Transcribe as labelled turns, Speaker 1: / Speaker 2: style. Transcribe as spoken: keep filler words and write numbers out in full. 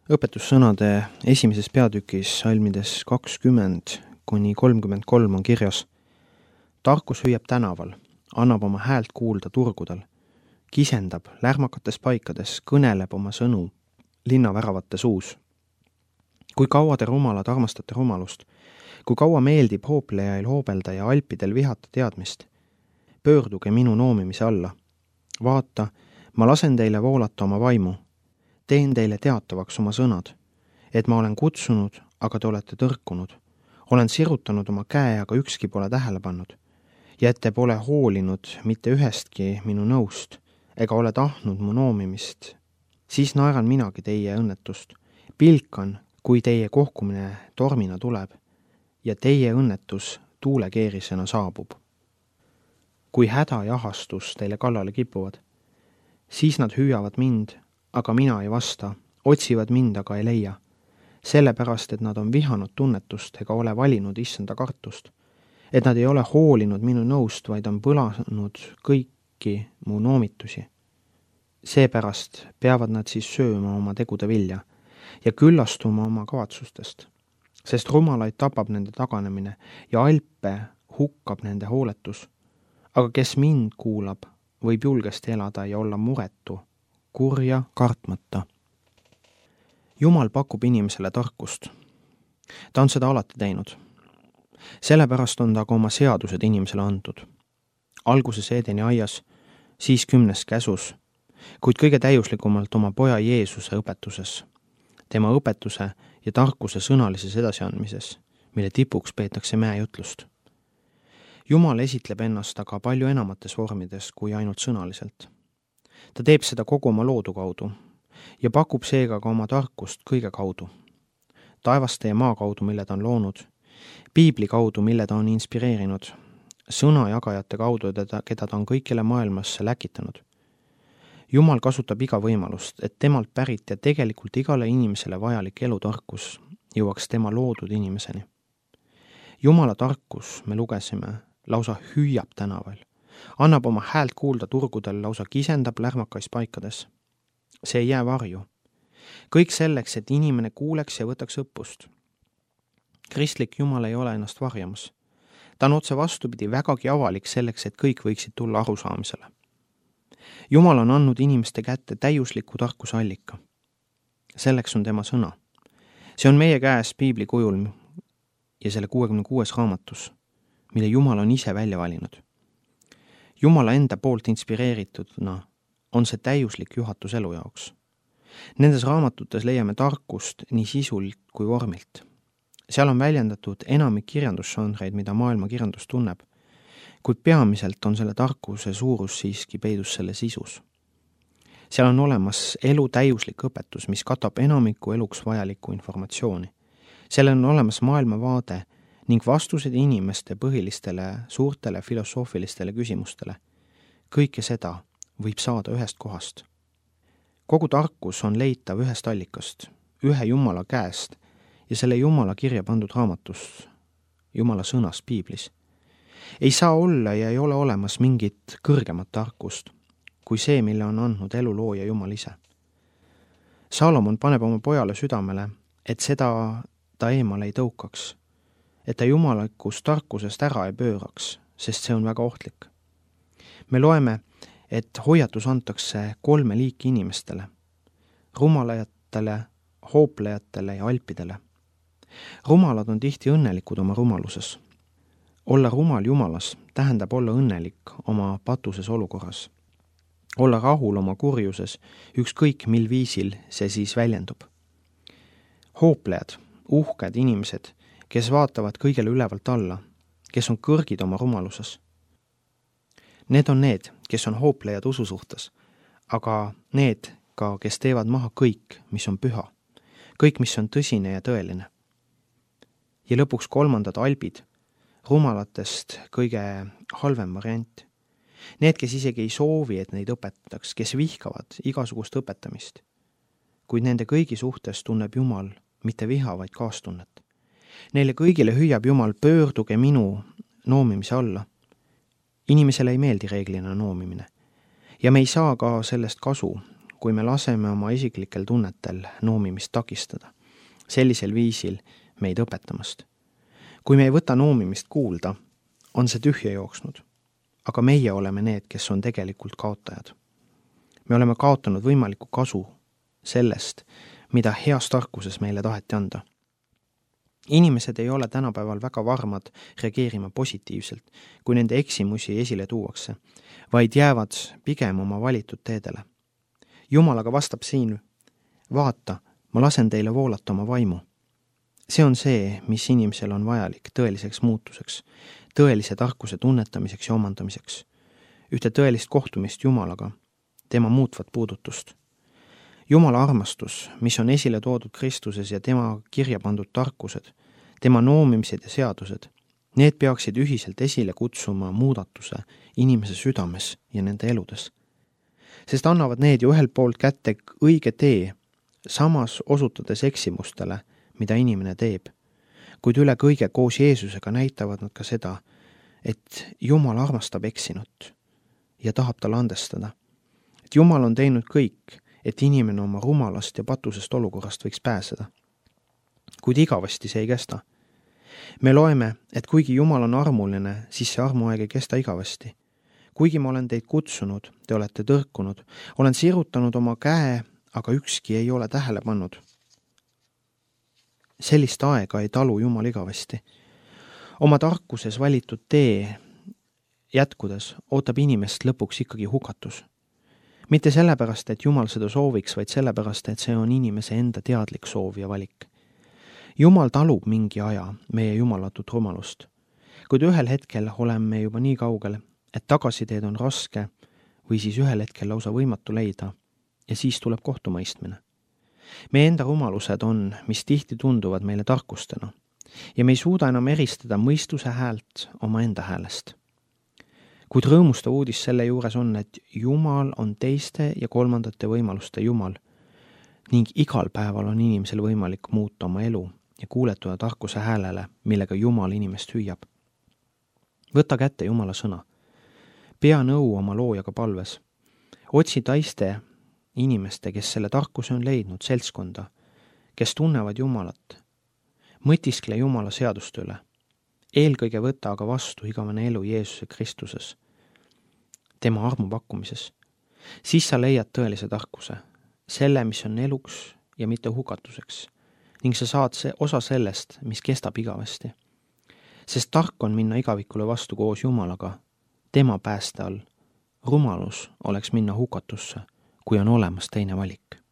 Speaker 1: Õpetussõnade esimeses peatükis salmides kakskümmend kuni kolmkümmend kolm on kirjas: tarkus hüüab tänaval, annab oma häält kuulda turgudel, kisendab lärmakates paikades, kõneleb oma sõnu linnaväravates suus. Kui kaua te rumalad armastate rumalust, kui kaua meeldib hooplejail hoobelda ja alpidel vihata teadmist, pöörduge minu noomimise alla. Vaata, ma lasen teile voolata oma vaimu, teen teile teatavaks oma sõnad, et ma olen kutsunud, aga te olete tõrkunud, olen sirutanud oma käe, aga ükski pole tähele pannud, ja et te pole hoolinud mitte ühestki minu nõust, ega ole tahtnud mu noomimist, siis naeran minagi teie õnnetust, pilkan, kui teie kohkumine tormina tuleb, ja teie õnnetus tuulekeerisena saabub. Kui häda ja ahastus teile kallale kipuvad, siis nad hüüavad mind, aga mina ei vasta, otsivad mind, aga ei leia, sellepärast, et nad on vihanud tunnetust ega ole valinud issanda kartust, et nad ei ole hoolinud minu nõust, vaid on põlanud kõiki mu noomitusi. Seepärast peavad nad siis sööma oma tegude vilja ja küllastuma oma kavatsustest, sest rumalaid tapab nende taganemine ja alpe hukkab nende hooletus, aga kes mind kuulab, võib julgesti elada ja olla muretu, kurja kartmata. Jumal pakub inimesele tarkust. Ta on seda alati teinud. Sellepärast on ta ka oma seadused inimesele antud. Alguses Eedeni aias, siis kümnes käsus, kuid kõige täiuslikumalt oma poja Jeesuse õpetuses, tema õpetuse ja tarkuse sõnalises edasiandmises, mille tipuks peetakse mäejutlust. Jumal esitleb ennast aga palju enamates vormides kui ainult sõnaliselt. Ta teeb seda kogu oma loodu kaudu ja pakub seega ka oma tarkust kõige kaudu. Taevaste ja maa kaudu, mille ta on loonud, piibli kaudu, mille ta on inspireerinud, sõnajagajate kaudu, keda ta on kõikjale maailmasse läkitanud. Jumal kasutab iga võimalust, et temalt pärit ja tegelikult igale inimesele vajalik elutarkus jõuaks tema loodud inimeseni. Jumala tarkus, me lugesime, lausa hüüab tänaval, annab oma häält kuulda turgudel, lausa kisendab lärmakais paikades. See ei jää varju. Kõik selleks, et inimene kuuleks ja võtaks õppust. Kristlik Jumal ei ole ennast varjamas. Ta on otse vastupidi vägagi avalik selleks, et kõik võiksid tulla arusaamisele. Jumal on andnud inimeste kätte täiusliku tarkuse allika. Selleks on tema sõna. See on meie käes piibli kujul ja selle kuuekümne kuues raamatus, mille Jumal on ise välja valinud. Jumala enda poolt inspireeritudna on see täiuslik juhatus elu jaoks. Nendes raamatutes leiame tarkust nii sisult kui vormilt. Seal on väljendatud enamik kirjandusžanreid, mida maailma kirjandus tunneb, kuid peamiselt on selle tarkuse suurus siiski peidus selle sisus. Seal on olemas elu täiuslik õpetus, mis katab enamiku eluks vajalikku informatsiooni. Seal on olemas maailmavaade ning vastused inimeste põhilistele suurtele filosoofilistele küsimustele. Kõike seda võib saada ühest kohast. Kogu tarkus on leitav ühest allikast, ühe Jumala käest ja selle Jumala kirja pandud raamatus, Jumala sõnas piiblis. Ei saa olla ja ei ole olemas mingit kõrgemat tarkust kui see, mille on andnud elu looja Jumal ise. Salomon paneb oma pojale südamele, et seda ta eemale ei tõukaks, et ta jumalikust tarkusest ära ei pööraks, sest see on väga ohtlik. Me loeme, et hoiatus antakse kolme liiki inimestele, rumalajatele, hooplejatele ja alpidele. Rumalad on tihti õnnelikud oma rumaluses. Olla rumal Jumalas tähendab olla õnnelik oma patuses olukorras. Olla rahul oma kurjuses, ükskõik mil viisil see siis väljendub. Hooplejad, uhked inimesed, kes vaatavad kõigele ülevalt alla, kes on kõrgid oma rumaluses. Need on need, kes on hooplejad usu suhtes, aga need ka, kes teevad maha kõik, mis on püha, kõik, mis on tõsine ja tõeline. Ja lõpuks kolmandad albid, rumalatest kõige halvem variant. Need, kes isegi ei soovi, et neid õpetataks, kes vihkavad igasugust õpetamist, kuid nende kõigi suhtes tunneb Jumal mitte viha, vaid kaastunnet. Neile kõigile hüüab Jumal, pöörduge minu noomimise alla. Inimesele ei meeldi reeglina noomimine ja me ei saa ka sellest kasu, kui me laseme oma isiklikel tunnetel noomimist takistada, sellisel viisil meid õpetamast. Kui me ei võta noomimist kuulda, on see tühja jooksnud, aga meie oleme need, kes on tegelikult kaotajad. Me oleme kaotanud võimaliku kasu sellest, mida heas tarkuses meile taheti anda. Inimesed ei ole tänapäeval väga varmad reageerima positiivselt, kui nende eksimusi esile tuuakse, vaid jäävad pigem oma valitud teedele. Jumal aga vastab siin, vaata, ma lasen teile voolata oma vaimu. See on see, mis inimesel on vajalik tõeliseks muutuseks, tõelise tarkuse tunnetamiseks ja omandamiseks, ühte tõelist kohtumist Jumalaga, tema muutvat puudutust. Jumala armastus, mis on esile toodud Kristuses ja tema kirja pandud tarkused, tema noomimised ja seadused, need peaksid ühiselt esile kutsuma muudatuse inimese südames ja nende eludes. Sest annavad need ju ühelt poolt kätte õige tee, samas osutades eksimustele, mida inimene teeb. Kuid üle kõige koos Jeesusega näitavad nad ka seda, et Jumal armastab eksinut ja tahab talle andestada. Et Jumal on teinud kõik, et inimene oma rumalast ja patusest olukorrast võiks pääseda. Kuid igavasti see ei kesta. Me loeme, et kuigi Jumal on armuline, siis see armuaeg ei kesta igavasti. Kuigi ma olen teid kutsunud, te olete tõrkunud, olen sirutanud oma käe, aga ükski ei ole tähele pannud. Sellist aega ei talu Jumal igavasti. Oma tarkuses valitud tee jätkudes ootab inimest lõpuks ikkagi hukatus. Mitte sellepärast, et Jumal seda sooviks, vaid sellepärast, et see on inimese enda teadlik soov ja valik. Jumal talub mingi aja meie jumalatut rumalust, kuid ühel hetkel oleme juba nii kaugel, et tagasiteed on raske või siis ühel hetkel lausa võimatu leida ja siis tuleb kohtumõistmine. Meie enda rumalused on, mis tihti tunduvad meile tarkustena ja me ei suuda enam eristada mõistuse häält oma enda häälest. Kuid rõõmustav uudis selle juures on, et Jumal on teiste ja kolmandate võimaluste Jumal ning igal päeval on inimesel võimalik muuta oma elu ja kuuletuda tarkuse häälele, millega Jumal inimest hüüab. Võta kätte Jumala sõna. Pea nõu oma loojaga palves. Otsi taiste inimeste, kes selle tarkuse on leidnud, seltskonda, kes tunnevad Jumalat. Mõtiskle Jumala seaduste üle. Eelkõige võta aga vastu igavene elu Jeesuse Kristuses, tema armu pakkumises. Siis sa leiad tõelise tarkuse, selle, mis on eluks ja mitte hukatuseks, ning sa saad see osa sellest, mis kestab igavesti. Sest tark on minna igavikule vastu koos Jumalaga, tema pääste all. Rumalus oleks minna hukatusse, kui on olemas teine valik.